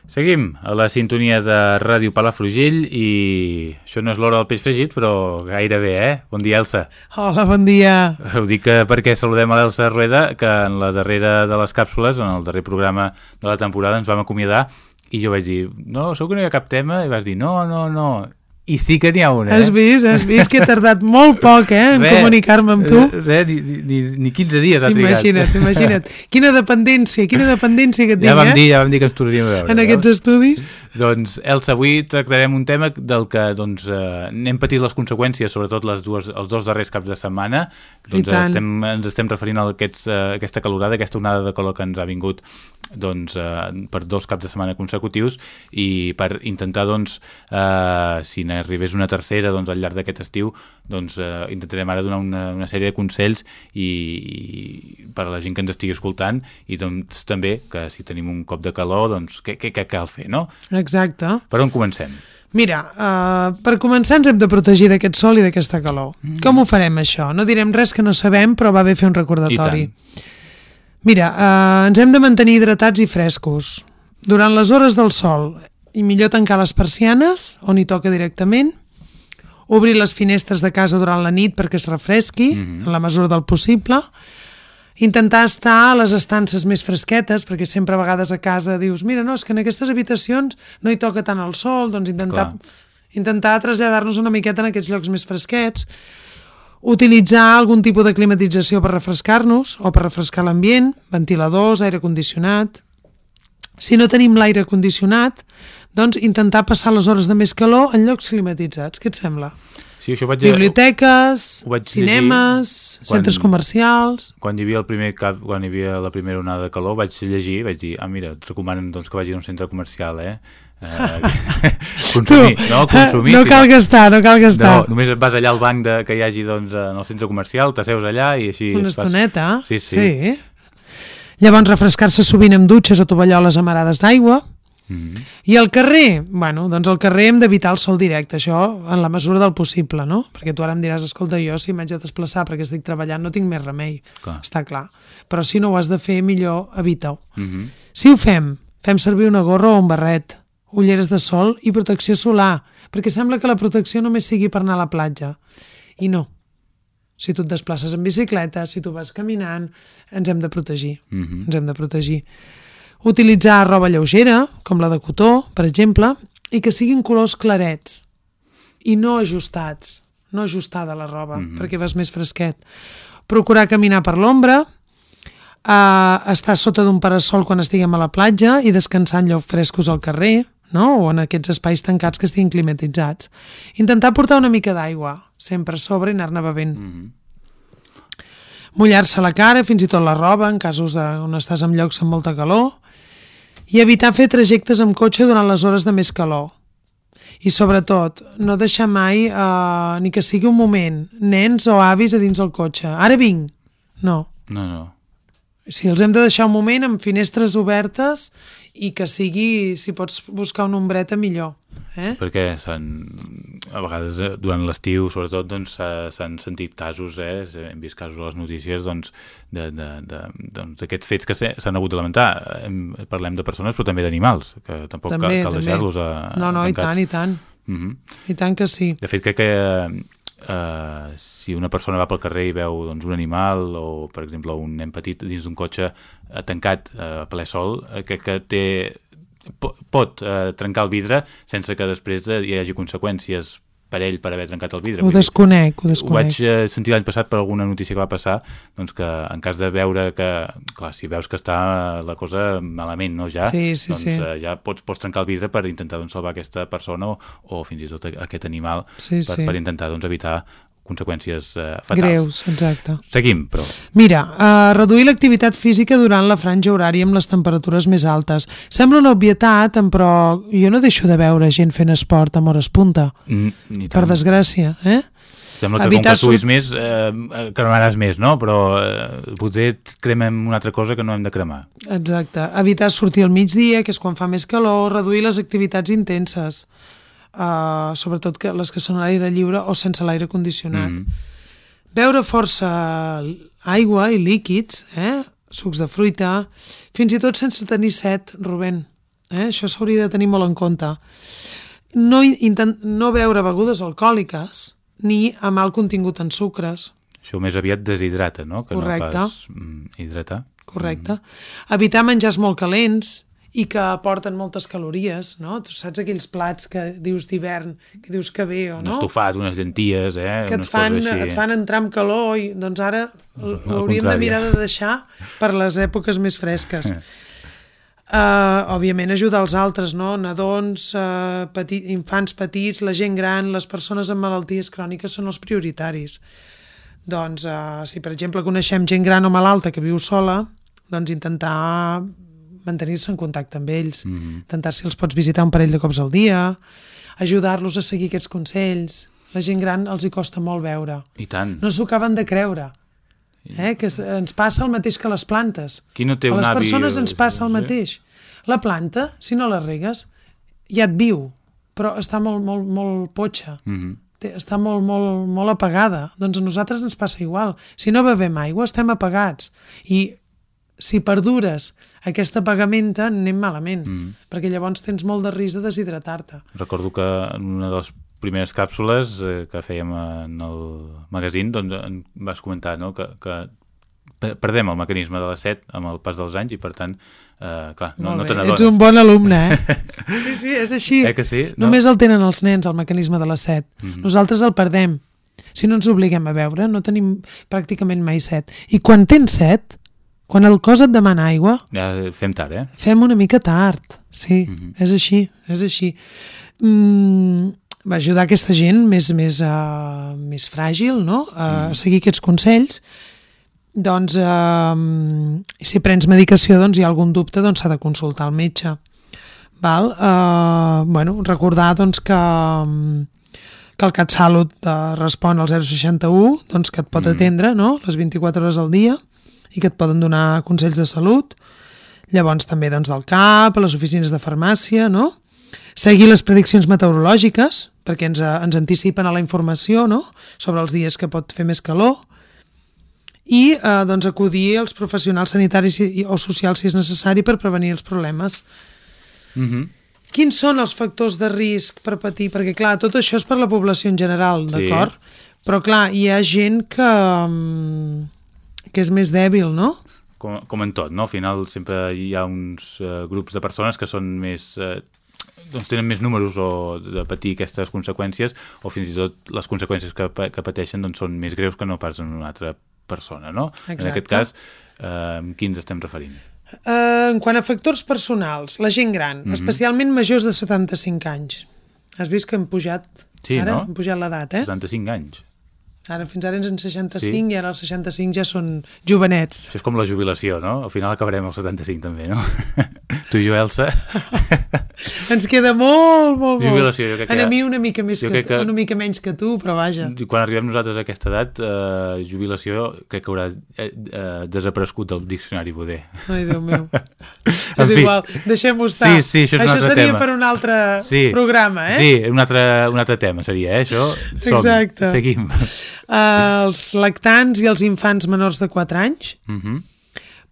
Seguim a la sintonia de Ràdio Palafrugell i això no és l'hora del peix fregit, però gairebé, Bon dia, Elsa. Hola, bon dia. Ho dic perquè saludem a l'Elsa Rueda, que en la darrera de les càpsules, en el darrer programa de la temporada, ens vam acomiadar i jo vaig dir, no, segur que no hi ha cap tema, i vas dir, no. I sí que n'hi ha una, Has vist que he tardat molt poc, en comunicar-me amb tu? Ni 15 dies ha trigat. Imagina't. Quina dependència que et tinc, Ja vam dir que ens tornaríem a veure. En aquests estudis. Doncs, Elsa, avui tractarem un tema del que n'hem patit les conseqüències, sobretot els dos darrers caps de setmana. Ens estem referint a aquesta calorada, aquesta onada de calor que ens ha vingut per 2 caps de setmana consecutius i per intentar, si n'arribés una tercera al llarg d'aquest estiu, intentarem ara donar una sèrie de consells i per a la gent que ens estigui escoltant i també que si tenim un cop de calor, què cal fer, no? Exacte. Per on comencem? Mira, per començar ens hem de protegir d'aquest sol i d'aquesta calor. Com ho farem, això? No direm res que no sabem, però va bé fer un recordatori. I tant. Mira, ens hem de mantenir hidratats i frescos. Durant les hores del sol, i millor tancar les persianes, on hi toca directament, obrir les finestres de casa durant la nit perquè es refresqui, en la mesura del possible, intentar estar a les estances més fresquetes, perquè sempre a vegades a casa dius, mira, no, és que en aquestes habitacions no hi toca tant el sol, doncs intentar traslladar-nos una miqueta en aquests llocs més fresquets, utilitzar algun tipus de climatització per refrescar-nos o per refrescar l'ambient, ventiladors, aire condicionat. Si no tenim l'aire condicionat, doncs intentar passar les hores de més calor en llocs climatitzats. Què et sembla? Sí, això biblioteques, cinemes, centres comercials. Quan hi havia la primera onada de calor vaig llegir, vaig dir, mira, et recomanen que vagis a un centre comercial, consumir. No cal gastar. No, només vas allà al banc que hi hagi en el centre comercial, t'asseus allà i així... Una estoneta. Sí. Llavors refrescar-se sovint amb dutxes o tovalloles amarades d'aigua. I al carrer, doncs al carrer hem d'evitar el sol directe, això en la mesura del possible, no? Perquè tu ara em diràs, escolta, jo si m'haig de desplaçar perquè estic treballant no tinc més remei, està clar. Però si no ho has de fer, millor evita-ho. Si ho fem servir una gorra o un barret, ulleres de sol i protecció solar, perquè sembla que la protecció només sigui per anar a la platja. I no. Si tu et desplaces en bicicleta, si tu vas caminant, ens hem de protegir. Ens hem de protegir. Utilitzar roba lleugera, com la de cotó, per exemple, i que siguin colors clarets i no ajustats, no ajustada la roba, perquè vas més fresquet. Procurar caminar per l'ombra, estar sota d'un parasol quan estiguem a la platja i descansar en llocs frescos al carrer, no? O en aquests espais tancats que estiguin climatitzats. Intentar portar una mica d'aigua, sempre a sobre i anar-ne bevent. Mullar-se la cara, fins i tot la roba, en casos on estàs en llocs amb molta calor, i evitar fer trajectes amb cotxe durant les hores de més calor. I sobretot, no deixar mai, ni que sigui un moment, nens o avis a dins el cotxe. Ara vinc! No. Si els hem de deixar un moment amb finestres obertes i que sigui, si pots buscar una ombreta, millor. Perquè a vegades durant l'estiu sobretot s'han sentit casos, hem vist casos a les notícies d'aquests fets que s'han hagut de lamentar. Parlem de persones però també d'animals, que tampoc cal deixar-los tancats. I tant. I tant que sí. De fet, crec que si una persona va pel carrer i veu un animal o, per exemple, un nen petit dins d'un cotxe tancat a ple sol, crec que pot trencar el vidre sense que després hi hagi conseqüències per ell per haver trencat el vidre. Ho desconec. Ho vaig sentir l'any passat per alguna notícia que va passar, que en cas de veure que, clar, si veus que està la cosa malament, no, ja, ja pots trencar el vidre per intentar salvar aquesta persona o fins i tot aquest animal per intentar evitar conseqüències fatals. Greus, exacte. Seguim, però... Mira, reduir l'activitat física durant la franja horària amb les temperatures més altes. Sembla una obvietat, però jo no deixo de veure gent fent esport amb hores punta. Per desgràcia, Sembla que com que suïs més, cremaràs més, no? Però potser cremem una altra cosa que no hem de cremar. Exacte. Evitar sortir al migdia, que és quan fa més calor, reduir les activitats intenses. Sobretot les que són a l'aire lliure o sense l'aire condicionat. Beure força aigua i líquids, sucs de fruita, fins i tot sense tenir set, Rubén. Això s'hauria de tenir molt en compte. No beure begudes alcohòliques ni amb alt contingut en sucres. Això més aviat deshidrata, no? Que correcte. No pas hidratar. Correcte. Evitar menjars molt calents i que aporten moltes calories, no? Tu saps aquells plats que dius d'hivern, que dius que bé o no? Un estofat, unes llenties, que et fan entrar amb calor i doncs ara l'hauríem de mirar de deixar per les èpoques més fresques. Òbviament ajudar els altres, no? Nadons, infants petits, la gent gran, les persones amb malalties cròniques són els prioritaris. Doncs si per exemple coneixem gent gran o malalta que viu sola, doncs intentar mantenir-se en contacte amb ells, intentar si els pots visitar un parell de cops al dia, ajudar-los a seguir aquests consells. La gent gran els hi costa molt veure. I tant. No s'ho acaben de creure, que ens passa el mateix que les plantes. Qui no té a un les avi, persones ens passa el mateix. La planta, si no la regues, ja et viu, però està molt potxa. Està molt apagada. Doncs a nosaltres ens passa igual. Si no bevem aigua, estem apagats. I si perdures aquesta apagamenta, anem malament, perquè llavors tens molt de risc de deshidratar-te. Recordo que en una de les primeres càpsules que fèiem en el magazín, doncs vas comentar, no?, que perdem el mecanisme de la set amb el pas dels anys i per tant, clar, no te n'adones. Ets un bon alumne, Sí, és així. Que sí? Només el tenen els nens, el mecanisme de la set. Nosaltres el perdem. Si no ens obliguem a beure, no tenim pràcticament mai set. I quan tens set, quan el cos et demana aigua... Ja fem tard, Fem una mica tard, sí, és així. Va ajudar aquesta gent més fràgil, no?, a seguir aquests consells. Doncs, si prens medicació, doncs hi ha algun dubte, doncs s'ha de consultar el metge. Val? Recordar doncs, que el CatSalut respon al 061, doncs, que et pot atendre, no?, les 24 hores al dia, i que et poden donar consells de salut. Llavors també doncs, del CAP, a les oficines de farmàcia, no? Seguir les prediccions meteorològiques, perquè ens anticipen a la informació, no?, sobre els dies que pot fer més calor, i doncs, acudir als professionals sanitaris o socials si és necessari per prevenir els problemes. Quins són els factors de risc per patir? Perquè clar, tot això és per la població en general, d'acord? Però clar, hi ha gent que és més dèbil, no? Com en tot, no? Al final sempre hi ha uns grups de persones que són més... doncs tenen més números de patir aquestes conseqüències, o fins i tot les conseqüències que pateixen doncs, són més greus que no pas en una altra persona, no? Exacte. En aquest cas, qui ens estem referint? En quant a factors personals, la gent gran, especialment majors de 75 anys. Has vist que hem pujat, ara? Hem pujat l'edat, 75 anys. Ara, fins ara ens en 65 i ara els 65 ja són jovenets. Això és com la jubilació, no? Al final acabarem als 75 també, no? Tu i jo, Elsa. Ens queda molt. Jubilació, jo crec que... A mi una mica menys que tu, però vaja. Quan arribem nosaltres a aquesta edat, jubilació crec que haurà desaparegut del diccionari Boder. Ai, Déu meu. És igual, deixem-ho estar. Sí, això és un altre tema. Això seria per un altre programa, Sí, un altre tema seria, això. Exacte. Seguim. Els lactants i els infants menors de 4 anys,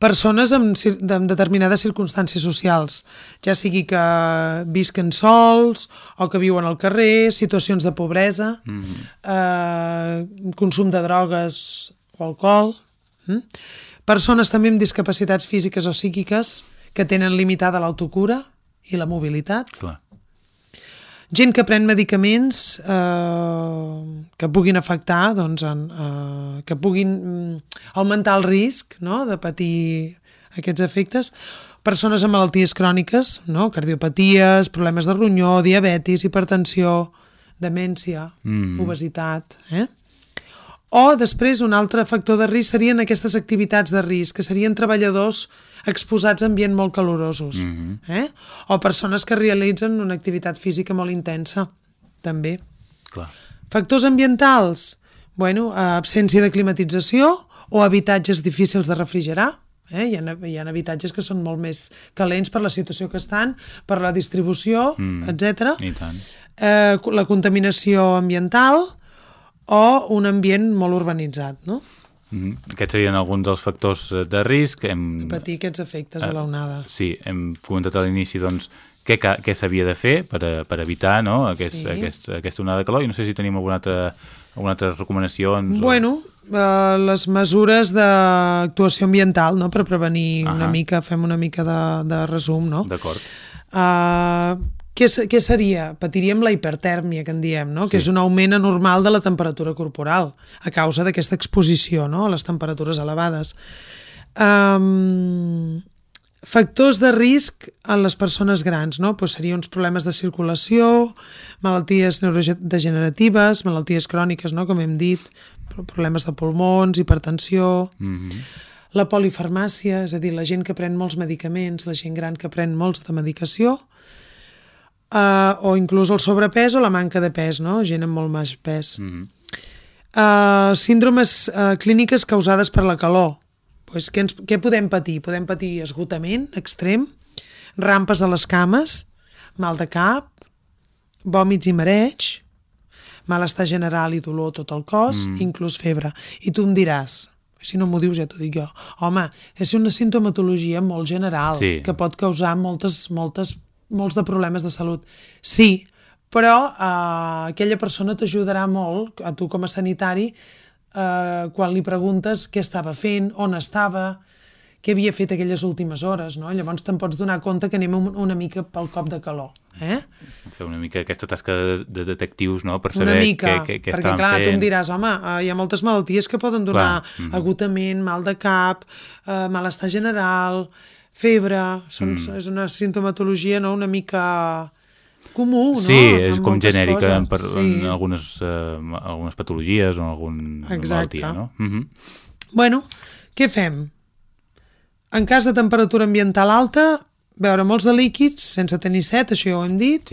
persones amb determinades circumstàncies socials, ja sigui que visquen sols o que viuen al carrer, situacions de pobresa, consum de drogues o alcohol, persones també amb discapacitats físiques o psíquiques que tenen limitada l'autocura i la mobilitat. Clar. Gent que pren medicaments que puguin afectar, doncs, que puguin augmentar el risc, no?, de patir aquests efectes. Persones amb malalties cròniques, no?, cardiopaties, problemes de ronyó, diabetis, hipertensió, demència, obesitat. O després un altre factor de risc serien aquestes activitats de risc, que serien treballadors exposats a ambient molt calorosos, o persones que realitzen una activitat física molt intensa, també. Clar. Factors ambientals, absència de climatització o habitatges difícils de refrigerar. Hi ha habitatges que són molt més calents per la situació que estan, per la distribució, etc. I tant. La contaminació ambiental o un ambient molt urbanitzat, no? Aquests serien alguns dels factors de risc. Patir aquests efectes de l'onada. Sí, hem comentat a l'inici, doncs, què s'havia de fer per evitar, no, aquesta onada de calor, i no sé si tenim alguna altra recomanacions. Bueno, les mesures d'actuació ambiental, no?, per prevenir fem una mica de resum, no? D'acord. Què seria? Patiríem la hipertèrmia, que en diem, no? Que és un augment anormal de la temperatura corporal a causa d'aquesta exposició, no?, a les temperatures elevades. Factors de risc en les persones grans, no? Pues serien uns problemes de circulació, malalties neurodegeneratives, malalties cròniques, no?, com hem dit, problemes de pulmons, hipertensió, la polifarmàcia, és a dir, la gent que pren molts medicaments, la gent gran que pren molts de medicació, o inclús el sobrepès o la manca de pes, no?, gent amb molt més pes. Síndromes clíniques causades per la calor. Pues, què podem patir? Podem patir esgotament extrem, rampes a les cames, mal de cap, vòmits i mareig, malestar general i dolor a tot el cos, inclús febre. I tu em diràs, si no m'ho dius ja t'ho dic jo, home, és una sintomatologia molt general, que pot causar molts de problemes de salut. Sí, però aquella persona t'ajudarà molt, a tu com a sanitari, quan li preguntes què estava fent, on estava, què havia fet aquelles últimes hores, no? Llavors te'n pots donar compte que anem una mica pel cop de calor. Fer una mica aquesta tasca de detectius, no?, per saber què estaven fent. Perquè clar, tu em diràs, home, hi ha moltes malalties que poden donar agotament, mal de cap, malestar general, febre, és una sintomatologia, no?, una mica comú, no? Sí, és com genèrica en algunes patologies o en alguna malaltia, no? Bueno, què fem? En cas de temperatura ambiental alta, beure molts de líquids, sense tenir set, això ja ho hem dit,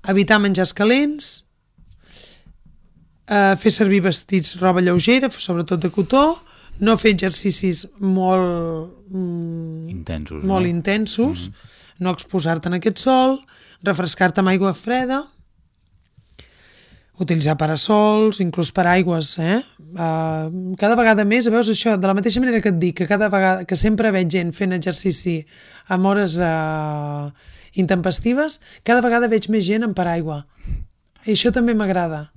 evitar menjars calents, fer servir vestits, roba lleugera, sobretot de cotó, no fer exercicis molt intensos, no exposar-te en aquest sol, refrescar-te amb aigua freda, utilitzar parasols, inclús paraigües, cada vegada més, veus això, de la mateixa manera que et dic, que cada vegada, que sempre veig gent fent exercici amb hores intempestives, cada vegada veig més gent amb paraigua. I això també m'agrada,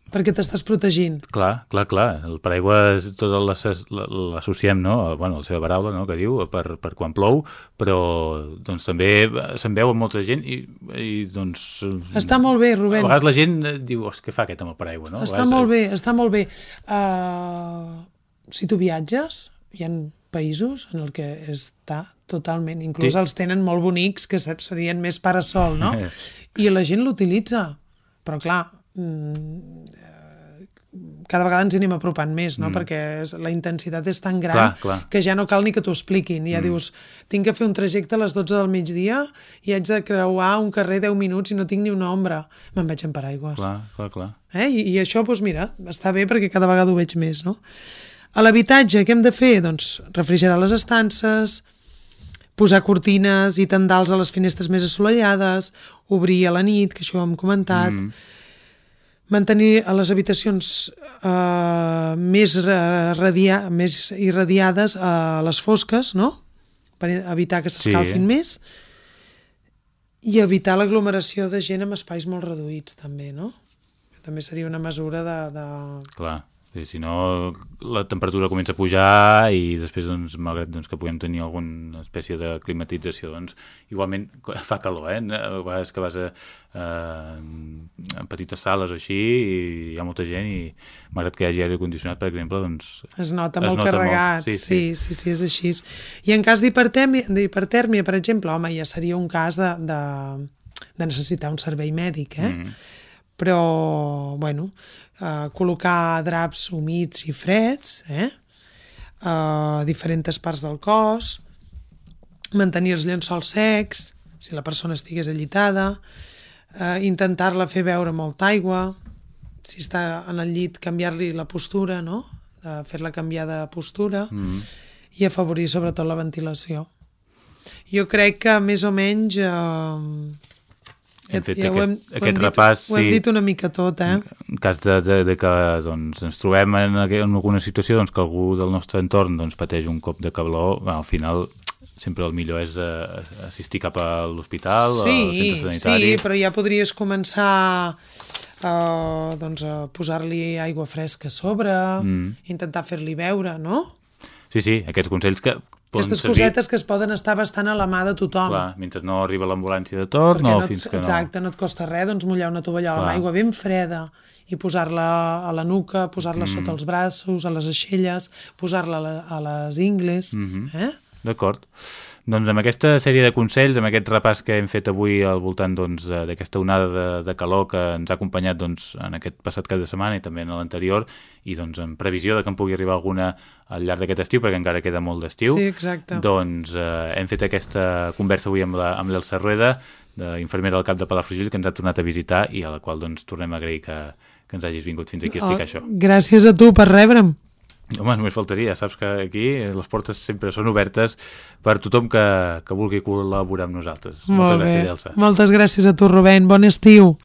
perquè t'estàs protegint. Clar. El paraigua tot l'associem, no?, bueno, la seva paraula, no?, que diu, per quan plou, però doncs també se'n veu amb molta gent i doncs... Està molt bé, Rubén. A vegades la gent diu, què fa aquest amb el paraigua, no? Està molt bé. Si tu viatges, hi ha països en el que està totalment, inclús els tenen molt bonics, que serien més parasol, no? I la gent l'utilitza, però clar, cada vegada ens anem apropant més, no? Perquè la intensitat és tan gran que ja no cal ni que t'ho expliquin. Ja dius, tinc que fer un trajecte a les 12 del migdia i haig de creuar un carrer 10 minuts i no tinc ni una ombra. Me'n vaig en paraigües. Clar. I això, doncs mira, està bé perquè cada vegada ho veig més, no? A l'habitatge, què hem de fer? Doncs refrigerar les estances, posar cortines i tendals a les finestres més assolellades, obrir a la nit, que això ho hem comentat, mantenir a les habitacions més irradiades a les fosques, no?, per evitar que s'escalfin més, i evitar l'aglomeració de gent en espais molt reduïts, també, no? També seria una mesura de... Clar. Si no, la temperatura comença a pujar i després, doncs, malgrat que puguem tenir alguna espècie de climatització, doncs, igualment fa calor, A vegades que vas a petites sales o així i hi ha molta gent i malgrat que hi hagi aire condicionat, per exemple, doncs... Es nota molt carregat, sí, és així. I en cas d'hipertèrmia, per exemple, home, ja seria un cas de necessitar un servei mèdic, Però, bueno... col·locar draps humits i freds a diferents parts del cos, mantenir els llençols secs si la persona estigués allitada, intentar-la fer beure molta aigua, si està en el llit canviar-li la postura, no? Fer-la canviar de postura i afavorir sobretot la ventilació. Jo crec que més o menys hem fet aquest repàs. Ho hem dit una mica tot, En cas de que doncs, ens trobem en alguna situació doncs, que algú del nostre entorn doncs, pateix un cop de calor, al final sempre el millor és assistir cap a l'hospital, al centre sanitari. Sí, però ja podries començar doncs, a posar-li aigua fresca a sobre, intentar fer-li beure, no? Sí, aquests consells que aquestes cosetes que es poden estar bastant a la mà de tothom. Clar, mentre no arriba l'ambulància de torn o fins que no... Exacte, no et costa res doncs, mullar una tovallola amb aigua ben freda i posar-la a la nuca, posar-la sota els braços, a les aixelles, posar-la a les ingles. D'acord. Doncs amb aquesta sèrie de consells, amb aquest repàs que hem fet avui al voltant d'aquesta onada de calor que ens ha acompanyat en aquest passat cap de setmana i també en l'anterior, i en previsió de que en pugui arribar alguna al llarg d'aquest estiu, perquè encara queda molt d'estiu, doncs hem fet aquesta conversa avui amb l'Elsa Rueda, infermera del CAP de Palafrugell, que ens ha tornat a visitar i a la qual tornem a agrair que ens hagis vingut fins aquí a explicar això. Gràcies a tu per rebre'm. Home, només faltaria, saps que aquí les portes sempre són obertes per tothom que vulgui col·laborar amb nosaltres. Moltes gràcies, Elsa. Moltes gràcies a tu, Rubén. Bon estiu.